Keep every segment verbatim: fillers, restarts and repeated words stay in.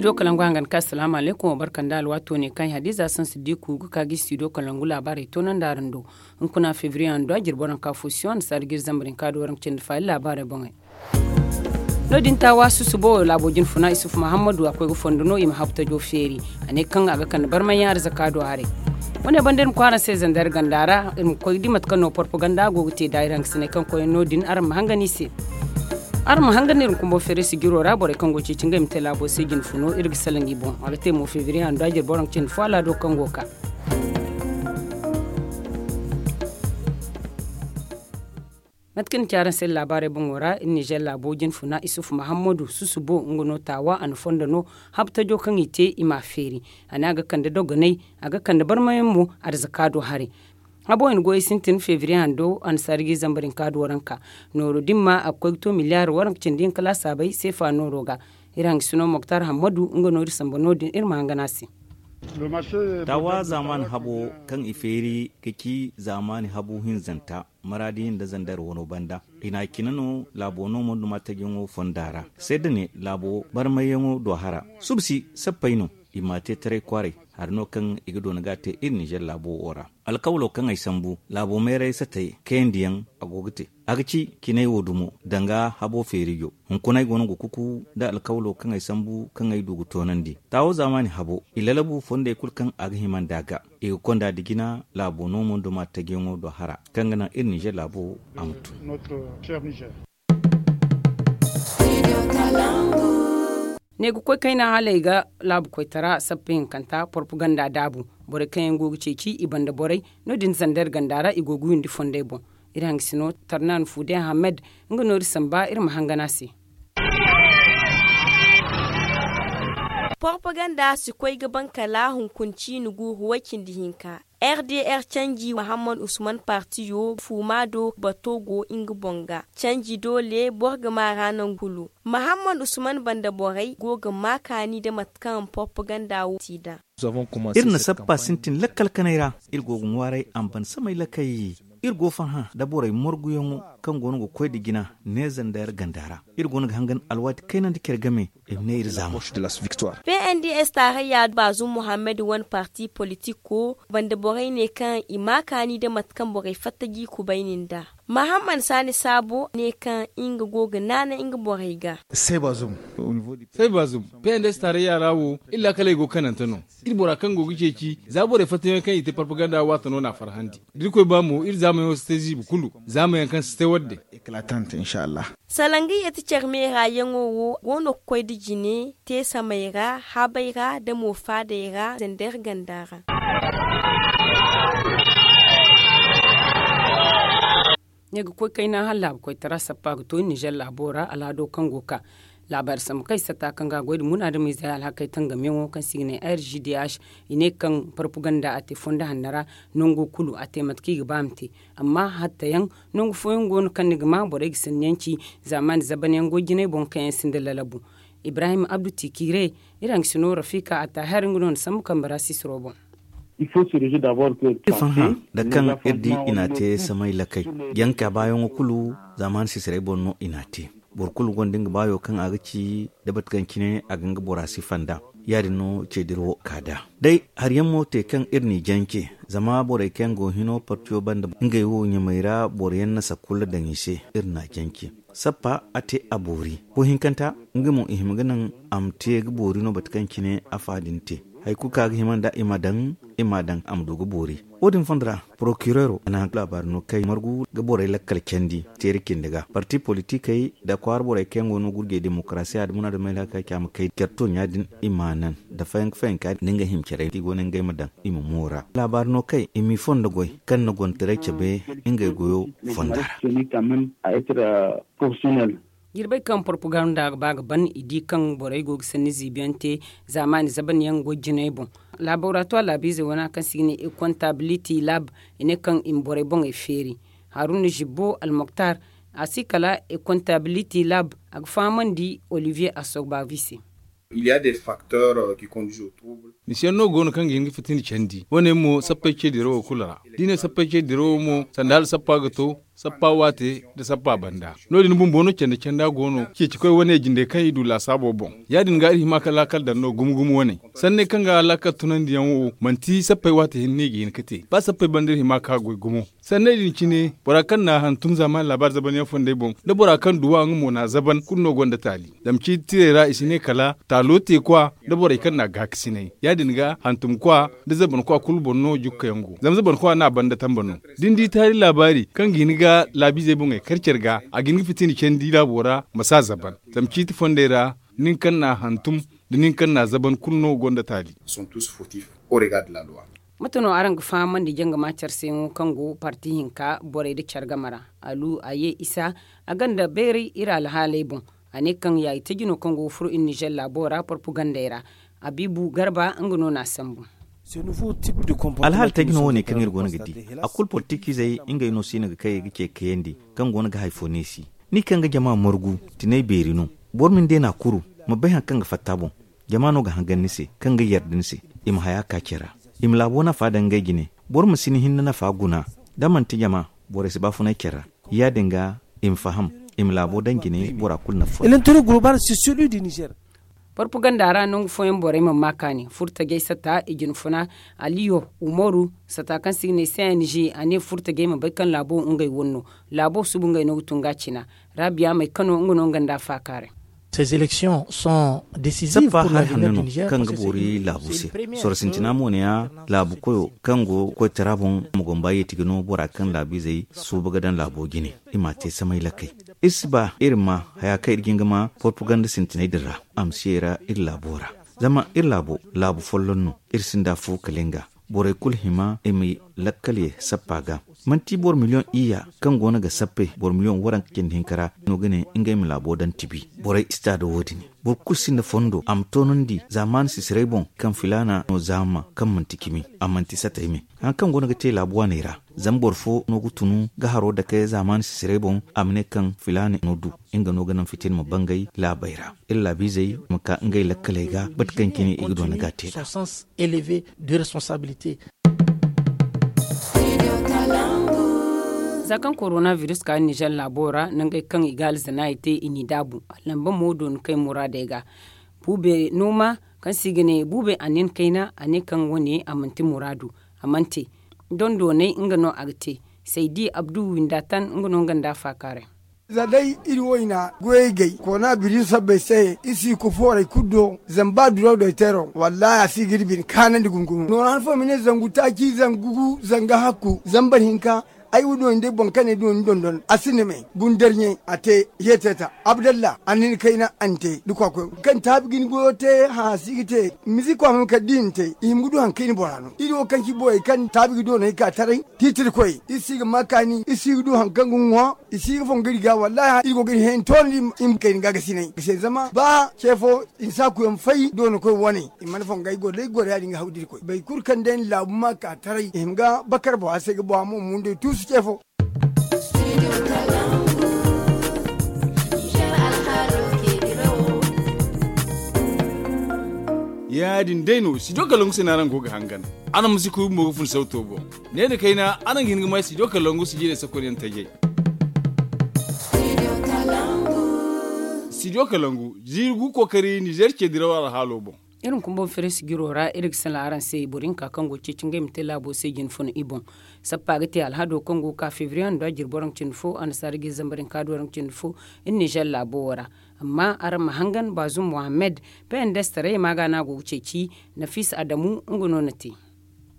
Do kalangu hangan ka asalaamu alaykum wa barka nda alwaato ne kaŋ i hadiza sansi diku ga ka ga i studio kalangu laabaarey toonandi araŋ do. Hunkuna febriye hando a jirbi waranka fo siyo annasaari ga iri zambar hinka do waranka cindi faali laabaarey boŋey. No- din taawa susubo laabo jinfuna isufu mahammadu a koy ga fondo no i ma habu tajo feeri. A ne kaŋ a ga kande barmayyaŋ arzaka do haray. Wane banda iri ma koy araŋ se zandar ganda ra iri ma koy ga di mate kaŋ no porpaganda go ga te da iri hangasiney kaŋ koyyaŋ no- din araŋ ma hangan i se. Araŋ ma hangan iri ma kumbo feere sijiro ra borey kaŋ go ga ceeci ngey ma te laabo se jinfuno iri ga salaŋ i boŋ a ga te mo febriye hando a jirbi waranka cindi fo alaado kaŋ go ga ka. Mate kaŋ ni ci araŋ se laabaarey boŋo ra iri nizer laabo jinfuna isufu mahammadu susubo nga no taawa a na fondo no. Habtajo kaŋ i te i m'a feeri. A ne a ga kande dogonay a ga kande barmayaŋ mo. Arzaka do haray. Habo i na goyey sintin febriye hando annasaari ga i zambar hinka do waranka. Nooro din ma a ga koy ga to miliyaari waranka cindi hinka laasaabey seefa nooro ga. Iri hangasino moktar hammadu nga no iri samba no- din iri ma hangan a se. Taawa zaamaani habo kaŋ i feeri ga ci zaamaani habu hinzanta maraadi nda zandar wano banda. I n'a cine no laabo no monduma tajaŋo fonda ra. Seeda ne laabo barmayyaŋo do hara. Subsi sappey no i m'a te taray kwaaray. Hari no kaŋ i ga doona ga a te iri nizer laabo wo ra. Alkawlo kaŋ ay sambu laabo meeray satey kayandiyaŋ a go ga te. A ga ci cinay wo dumo danga habo feerijo. Hunkunay go no ga kuku nda alkawlo kaŋ ay sambu kaŋ ay du ga toonandi taawo zaamaani habo i lalabu fondey kulu kaŋ a ga hima nd'a ga. I ga konda da jina laabo no monduma tajiyaŋo do hara kaŋ ga naŋ iri nizer laabo a ma tun. Ne ga koy kayna hala i ga laabu koytara sappa hinkanta porpaganda daabu. Borey kaŋ yaŋ go ga ceeci i banda borey no- din zandar ganda ra i go ga windi fondey boŋ. Iri hangasino tarnan fude ahamed nga no iri samba iri ma hangan a se. Porpaganda si koy ga ban kala hunkuna ciini guuru way-cindi-hinka. Rdr canji mahammad usman partiyo fuuma do bato go nga boŋ ga. Canji doole boro ga maa ra nangu kulu. Mahammad usman banda borey go ga maa kaani nda mate kaŋ porpaganda wo ti nd'a. Iri na sappa sintin lakkal kanay ra. Iri go ga ŋwaaray a ma ban samay lakay. Iri go farhã nda borey morguyaŋo kaŋ go no ga koy nda jina neeza nda yar ganda ra. Iri go no ga hangan alwaati kayna nda care game. I ma ne iri zaama. Pnds taarayya baazum muhammad wane parti politiko banda borey ne kaŋ i ma kaani nda mate kaŋ borey fatta ga i kubayni nd'a. Mahammad saani saabo ne kaŋ nga go ga naanay nga borey ga. Say baazum. Pnds taarayya ra wo iri laakaley go kanante no. Iri bora kaŋ go ga ceeci za borey fattayaŋ kaŋ i te parpaganda waata no n'a farhandi. Da irkoy ba mo iri zaamayaŋo si te ziibi kulu zaamayaŋ kaŋ si te wadde. Salaŋ ga yeti care meera yaŋo wo go no ga koy nda jine te samey ra habey ra nda mo faadey ra zender ganda ra. Ne ga koy kayna hala laabu koytara sappa ga to nizer laabo ra alhado kaŋ go ga ka. Laabaari sambu kaŋ i satta kaŋ ga a goy nda munaadamiizey alhakey tangamiyaŋo kaŋ se i ga ne r g d h. I ne kaŋ parpaganda a te fondo hanno ra nango kulu a te mate kaŋ i ga ba a ma te. Amma hattayaŋ nangu fooyaŋ go no kaŋ ni ga ma borey ga sanniyaŋ ci zaamaani zabanyaŋ goy jinay boŋ kaŋ yaŋ sinda lalabu. Ibrahim abdu tikiire iri hangasino rafika attahir nga no na sambu kambe ra sisiro boŋ. Iri farhã nda kaŋ iri di i n'a te samay lakay. Janka baayaŋo kulu zaamaani sisirey boŋ no i n'a te. Boro kulu gonda nga baayo kaŋ a ga ci da mate kaŋ cine a ga nga bora sifa nd'a. Ya-din no ceediro ka nd'a. Day hari yaŋ mo te kaŋ iri n'i jance zama borey kaŋ yaŋ go hino partiyo banda ngey wo ɲamey ra boro yaŋ na sakulla daŋ i se. Iri n'a jance. Sappa a te a boori fo hinkanta nga mo i hima ga naŋ a ma te ga boori no mate kaŋ cine a fa din te. Hari kulu kaŋ a ga hima nd'a i ma daŋ i m'a daŋ a ma du ga boori. Wo-din fondo ra porokireero a na laabaari no kay margu ga borey lakkal candi teeri cindi ga parti politikey nda kwaara borey kaŋ yaŋ go no gurjey demokarasiya nda munaadamey laakaki a ma kay care tooɲa din i m'a naŋ nda fayanka fayanka nda ngey hima carey kaŋ i go no ngey ma daŋ i ma moora. Laabaari no kay i m'i fondo goy kaŋ na gontaray cabe ngey goyo fonda ra. Jirbey kaŋ porpaganda ga ba ga ban i di kaŋ borey go ga sanni ziibiyaŋ te zaamaani zabanyaŋ goy jinay boŋ. Laboratoire laabiizey wana kaŋ se i ga ne e comptability lab i ne kaŋ i ma borey boŋey feeri. Haruna zibbo almoktar a si kala e comptability lab a ga fahamandi olivier asogbavi se. Misiyaŋ no go no kaŋ ga hin ga fitini candi wo- ne mo sappey ce dirawo kulu ra. Da i ne sappey ce dirawo mo sanda hala sappa ga to. Sappa waate nda sappa banda, no- din bumbo no canda canda go no ceeci koy wane jinde kaŋ i du laasaabo boŋ. Ya- din ga iri hima ka laakal daŋ no gumo gumo wane. Sanney kaŋ ga laakal tunandiyaŋ wo manti sappey waate hinne no i ga hin ga te ba sappey banda iri hima ka goy gumo. Sanney din cine bora kaŋ na a hantum zaamaani laabaari zaban yaŋ fondey boŋ, nda bora kaŋ duw'a nga mo na a zaban kulu no gonda taali. Zama ciiti tirey ra i si ne kala taalo teekwa nda borey kaŋ na a gaakasinay. Ya- din ga hantumkwa nda zabankwa kulu boŋ no jukka yaŋ go zama zabankwa no a banda tamba no. Da ni di taari laabaari kaŋ ga hin ga laabiizey boŋey kar care ga, a ga hin ga fitina candi laabo ra ma si a zaban. Zama ciiti fondey ra nin kaŋ na a hantum nda nin kaŋ na a zaban kulu no gonda taali. Mate no araŋ ga fahamandi jangama care se yaŋo kaŋ go parti hinka borey nda care game ra? Alu a ye isa a gonda bayray iri alhaaley boŋ. A ne kaŋ yaayitaji no kaŋ go ga furo iri nizer laabo ra porpagandey ra. Abiibu garba nga no na a sambu. Alhaali taji no wo- ne kaŋ iri go no ga di. A kulu politikiizey ngey no siina ga kay ga ce kayandi kaŋ go no ga hari fo neesi. Ni kaŋ ga jama margu tinay beeri no. Boro ma ni deena kuru ma bay hari kaŋ ga fatta boŋ. Jama no ga hangan ni se kaŋ ga yarda ni se. I ma haya ka care ra. I ma laabo nafa daŋ ngey jine. Boro ma si ni hinne nafa guna. Da manti jama borey si baafunay care ra. Ya- din ga i ma faham i ma laabo daŋ jine bora kulu nafa fo. Porpaganda ra nangu fooyaŋ borey mana ma kaani furtajey sata i jinfuna. Aliyo umaru sata kaŋ se i ga ne cng a ne furtajey ma bay kaŋ laabo ngey wane no. Laabo suba ngey no ga tun ga a cina. Rabiya may kano nga no nga nda a faakaaray. Sappa hari hanno no kaŋ ga boori laabu se. Sorro sintina mo ne ya laabu koyo kaŋ go koytara boŋ ma gomba yeeti ga no bora kaŋ laabiizey suuba ga daŋ laabo jine. I m'a te samay lakay. Iri si ba iri ma haya kaŋ iri ga hin ga ma porpaganda sintiney din ra a ma si ye ra iri laabo ra. Zama iri laabo laabu folloŋ no. Iri sinda afo kala nga. Borey kulu hima i ma lakkal ye sappa ga. Manti boro miliyoŋ iyya kaŋ go no ga sappe boro miliyoŋ waranka cindi hinka ra no ga ne ngey ma laabo daŋ tibi. Borey istaado wo- din boro kulu sinda fondo a ma toonandi zaamaani sisiray boŋ kaŋ filaana no zaama kaŋ manti cimi a manti satay me. Hari kaŋ go no ga te laabu waaney ra zama boro fo no ga tunu ga haro dake zaamaani sisiray boŋ a ma ne kaŋ filaana no du. Nga no ga naŋ fitina ma bangay laabey ra. Iri laabiizey ma ka ngey lakkaley ga bate kaŋ cine i ga doona ga a te nd'a. Za kaŋ korona biris ka nizer laabo ra nangey kaŋ i ga alzanaayey te i n'i daabu. Lamba mo doona kay muraadey ga. Buubey nooma kaŋ se i ga ne buubey a nin kayna a ne kaŋ wane a manti muraadu. A mana te. Dondoney nga no a ga te. Saydi abdu winda tan nga no nga nda a faakaaray. Za day iri wayna goyey gay koona biri sabbay se iri si ga koy fooray kulu do. Zama ba duraw day teero wallaahi a si ga iri bine kaanandi gumo gumo noora han fooyaŋ ma ne zangu taaci zangu gu zanga hakku zambar hinka. Ay wo dooni day boŋ kaŋ ne dooni dondon a sinda me. Guna darɲe a te yeeteta abdalla a na ni kayna a na te da kwaakoy kaŋ taabi ga ni goyo te hã si ga te. Mizik kwaama ma kala da i na te i hima ga du hari kaŋ i na bora no iri wo kaŋ ci borey kaŋ taabi ga dooney ka taray. Tiitirkoy iri si ga ma kaani iri si ga du hari kaŋ ga ŋwa. I si ga fongu iri ga wallaahi iri go ga iri hẽeni toonandi i ma kayna gaagasinay ga se zama ba ce fo i na saakuyaŋ fay doonakoy wane. I mana fongu ay goro day goro ya- din ga haw da irkoy boro kulu kaŋ day na laabu ma ka taray i hima ga bakar boŋ a se ga boŋ a mo mundey tuusu ce fo. Ya- din day no studio kalangu se no araŋ go ga hangan. Araŋ ma si kuy bumbo ga fun sawto boŋ. Ne nda kayna araŋ ga hin ga may studio kalangu sijirey sakonyaŋ tajey. Studio kalangu ziiri gu kookari nizer ce diraw alhaalo boŋ. Iri ma kumbaŋ fere sijiro ra iri ga salaŋ araŋ se boro hinka kaŋ go ga ceeci ngey ma te laabo se jine funa i boŋ. Sappa ga te alhado kaŋ go ga ka febriye hando a jirbi waranka cindi fo annasaara ga i zambar hinka do waranka cindi fo. Iri nizer laabo wo ra. Amma araŋ ma hangan baazum mohammed. Pnds taray ma ga no a go ga ceeci. Nafisa adamu nga no na te.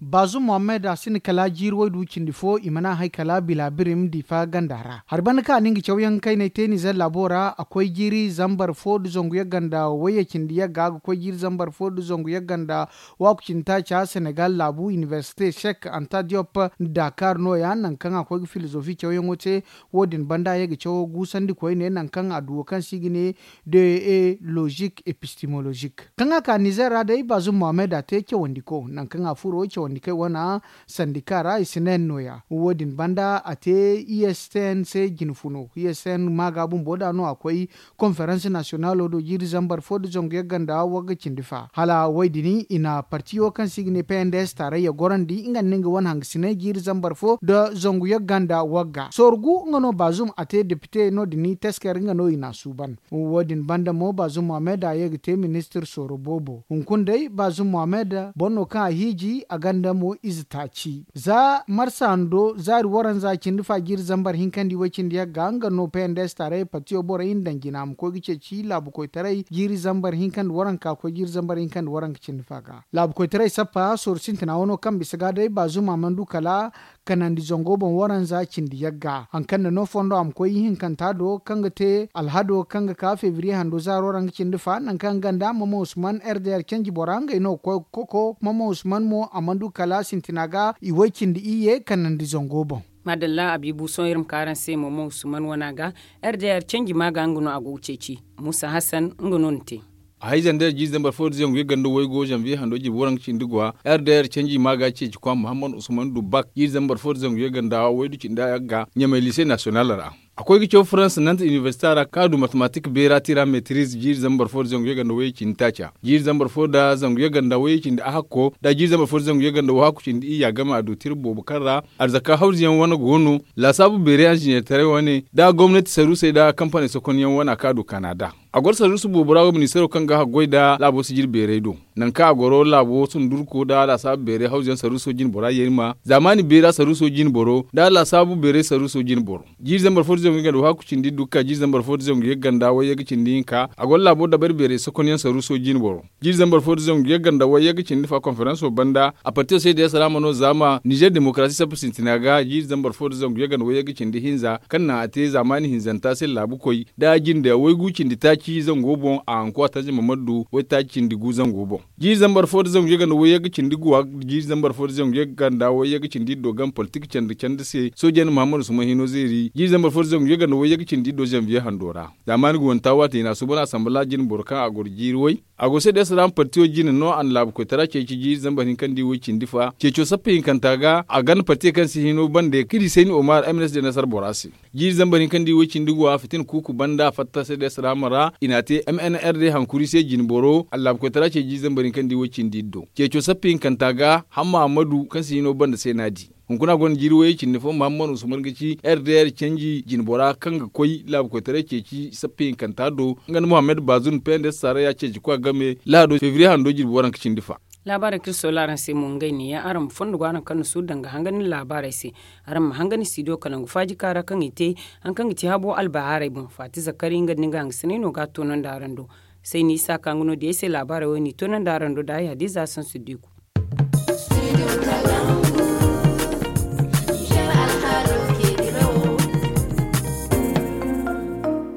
Baazum mohammed a sinda kala jiiri waydu cindi fo i mana a hay kala bila birim diifa ganda ra hari banda kaŋ a na nga cawyaŋ kayney te nizer laabo ra a koy jiiri zambar fo nda zangu yagga nda wayye cindi yagga a ga koy jiiri zambar fo nda zangu yagga nda waaku cindi taaca senegal laabu inibersite sek anta diop nda dakar nooya nangu kaŋ a koy ga filozofi cawyaŋo te. Wo- din banda ye ga cawo guusandi koyne nangu kaŋ a duwo kaŋ se i ga ne de e lozik epistemolozik kaŋ a ka nizer ra day baazum mohammed a te cawandiko nangu kaŋ a furo. Sandika wana sandika ra i si ne nooya wo- din banda a te i s t n se jine funo i s t n maaga bumbo da no a koy konferans nasiyonalo do jiiri zambar fo nda zangu yagga nda wagga cindi fa hala wo- din i na partiyo kaŋ se i ga ne p n d s taarayya gorandi nga nda nga wane hangasinay jiiri zambar fo nda zangu yagga nda wagga sorgu nga no baazum a te depite no- din taskar nga no i na a suuban. Wo- din banda mo baazum mohammed a ye ga te ministir sooro boobo hunkuna day baazum mohammed boro no kaŋ a hiiji a ganda mo ize taaci za marsa hando zaari waranza cindi fa jiiri zambar hinkandi way cindi yagga nga no p n d s taarayya partiyo borey nda daŋ jina a ma koy ga ceeci laabu koytaray jiiri zambar hinkandi waranka koy jiiri zambar hinkandi waranka cindi fa ga laabu koytaray sappa sooru sintina wano kaŋ bisa ga day baazum a mana du kala kanandi zango boŋ waranza cindi yagga hari kaŋ na no fondo a ma koy ihinkanta do kaŋ ga te alhado kaŋ ga ka febriye hando zaaro ra nga cindi fa nangu kaŋ ganda mama usman r d r canji bora ngey no ga koy ga koko mama usman mo a mana du kala sintina ga i way cindi iyye kanandi zango boŋ. Maadalla a biibu sohõ iri ma ka araŋ se mama usman wana ga r d r canji ma ga nga no a go ga ceeci muusa hassan nga no ni te. A hay zandar jiiri zambar fo da zangu yagga nda waygo zanviye hando jirbi waranka cindi gwa r d r canji ma ga ceeci kwa muhammad usman dubak jiiri zambar fo da zangu yagga nda waydu cindi yagga ɲamay lise nasiyonal ra. A koy ga caw farans nanta iniversita ra kaŋ a du matematik beera tira metriz jiiri zambar fo da zangu yagga nda wayey cindi taaca jiiri zambar fo da zangu yagga nda wayey cindi ahakko da jiiri zambar fo da zangu yagga nda wahakku cindi iyya game a du tira boobo kaŋ ra arzaka hawzu yaŋ wane go no laasaabu beeray anzineertaray wane da gomnati saruusey da kampaney sokonyaŋ wane a kaŋ a du kanada. A goro saruusu boobo ra wo ministeero kaŋ ga haggoy nda laabo sijir beeray do nangu kaŋ a goro laabo sundurko nda laasaabu beeray hawzuyaŋ saruuso jine bora yeerima zaamaani beera saruuso jine boro nda laasaabu beeray saruuso jine boro. Jiiri zambar fo da zangu yagga nda wahakku cindi dukka jiiri zambar fo da zangu yagga nda wayyagga cindi hinka a goro laabo dabari beeray sokonyaŋ saruuso jine boro. Jiiri zambar fo da zangu yagga nda wayyagga cindi fa konferanso banda a partiyo se da yasaraama no zaama nizer demokarasi sappa sintina ga jiiri zambar fo da zangu yagga nda wayyagga cindi hinza kaŋ naŋ a te zaamaani hinzanta se laabukoy da jinde waygu cindi taaci zango boŋ a hanku a tanja mamadu waytaaci cindi gu zango boŋ. Jiiri zambar fo da zangu yagga nda wayyagga cindi guwa jiiri zambar fo da zangu yagga nda wayyagga cindi iddo game politik candi candi se sooje nda muhammadu suma hino zeeri jiiri zambar fo da zangu yagga nda wayyagga cindi iddo zanviye hando ra. Zaamaani ga wanta waati hina suuban asambala jine boro kaŋ a goro jiiri way a go se da yasaraama partiyo jine no a na laabu koytara ceeci jiiri zambar hinkandi way cindi fa ceeco sappa hinkanta ga a ganda partiyo kaŋ si hino bande kaŋ i di sayni omar m n s de nasar bora se. Jiiri zambar hinkandi way cindi guwa fitina kuuku banda fatta se da yasaraama ra i n'a te m n r d hankuri se jine boro a na laabu koytara ceeci jiiri zambar hinkandi way cindi iddo ceeco sappa hinkanta ga hamma ammadu kaŋ si hino banda se no a di. Hunkuna gonda jiiri wayey cindi fo muhammad usman ga ci r d r canji jine bora kaŋ ga koy laabu koytaray ceeci sappa hinkanta do nga nda muhammad baazun p n d s saaraya ceeci kwa game lahado febriye hando jirbi waranka cindi fa. Laabaarey kaŋ iri soola araŋ se mo ngey neeya araŋ ma fondo go araŋ kaŋ na suuru danga hangan ni laabaarey se. Araŋ ma hangan ni studio kalangu faaji kaara kaŋ i te hari kaŋ ga ci habo albahaarey boŋ faati zakari nga nda ni ga hangasiney no ga a toonandi araŋ do. Sayni isa ka nga no diyey se laabaarey wo n'i toonandi araŋ do da ay hadiza sansu diku.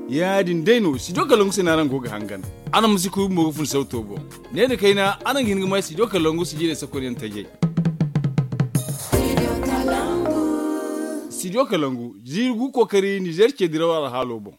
Ya- din day no studio kalangu se no araŋ go ga hangan. Araŋ ma si kuy bumbo ga fun sawto boŋ. Ne nda kayna araŋ ga hin ga may studio kalangu sijirey sakonyaŋ tajey. Studio kalangu ziiri gu kookari nizer ce diraw alhaalo boŋ.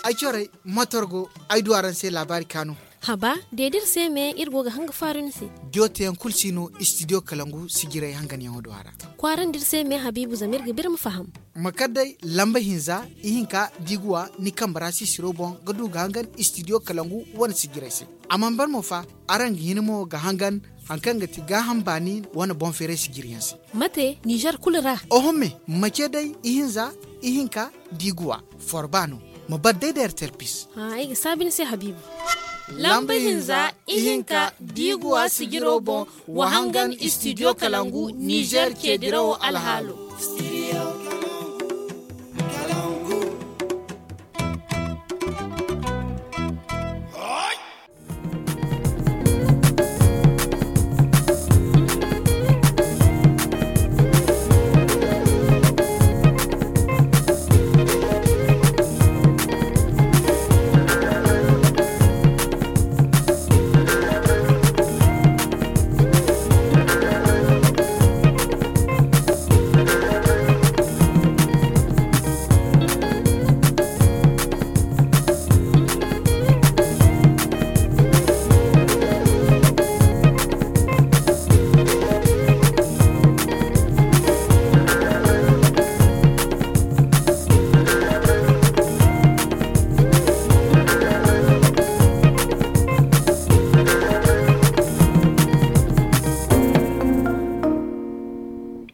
Ay corey motor go ay du araŋ se laabaari kaanu. Haba, de da iri se me iri go ga hanga faaru ni se. Jooteyaŋ kulu si no studio kalangu sijirey hanganyaŋo do a ra. Kwaarandi iri se me habiibu zama iri ga ba iri ma faham. Ma kar day lamba hinza ihinka da i ga wa ni kambe ra sisiro boŋ ga du ga hangan studio kalangu wane sijirey se. A mana ban mo fa, araŋ ga hin mo ga hangan hari kaŋ ga ti gaaham baani wane boŋ feeray sijiriyaŋ se. Mate nizer kulu ra? Oho me, ma ce day ihinza, ihinka da i ga wa forba no. Ma bar day da r t l pis. Ay ga saabu ni se habiibu. Lamba hinza ihinka da i ga wa sijiro boŋ, wa hangan studio kalangu nizer ce dirawo alhaalo.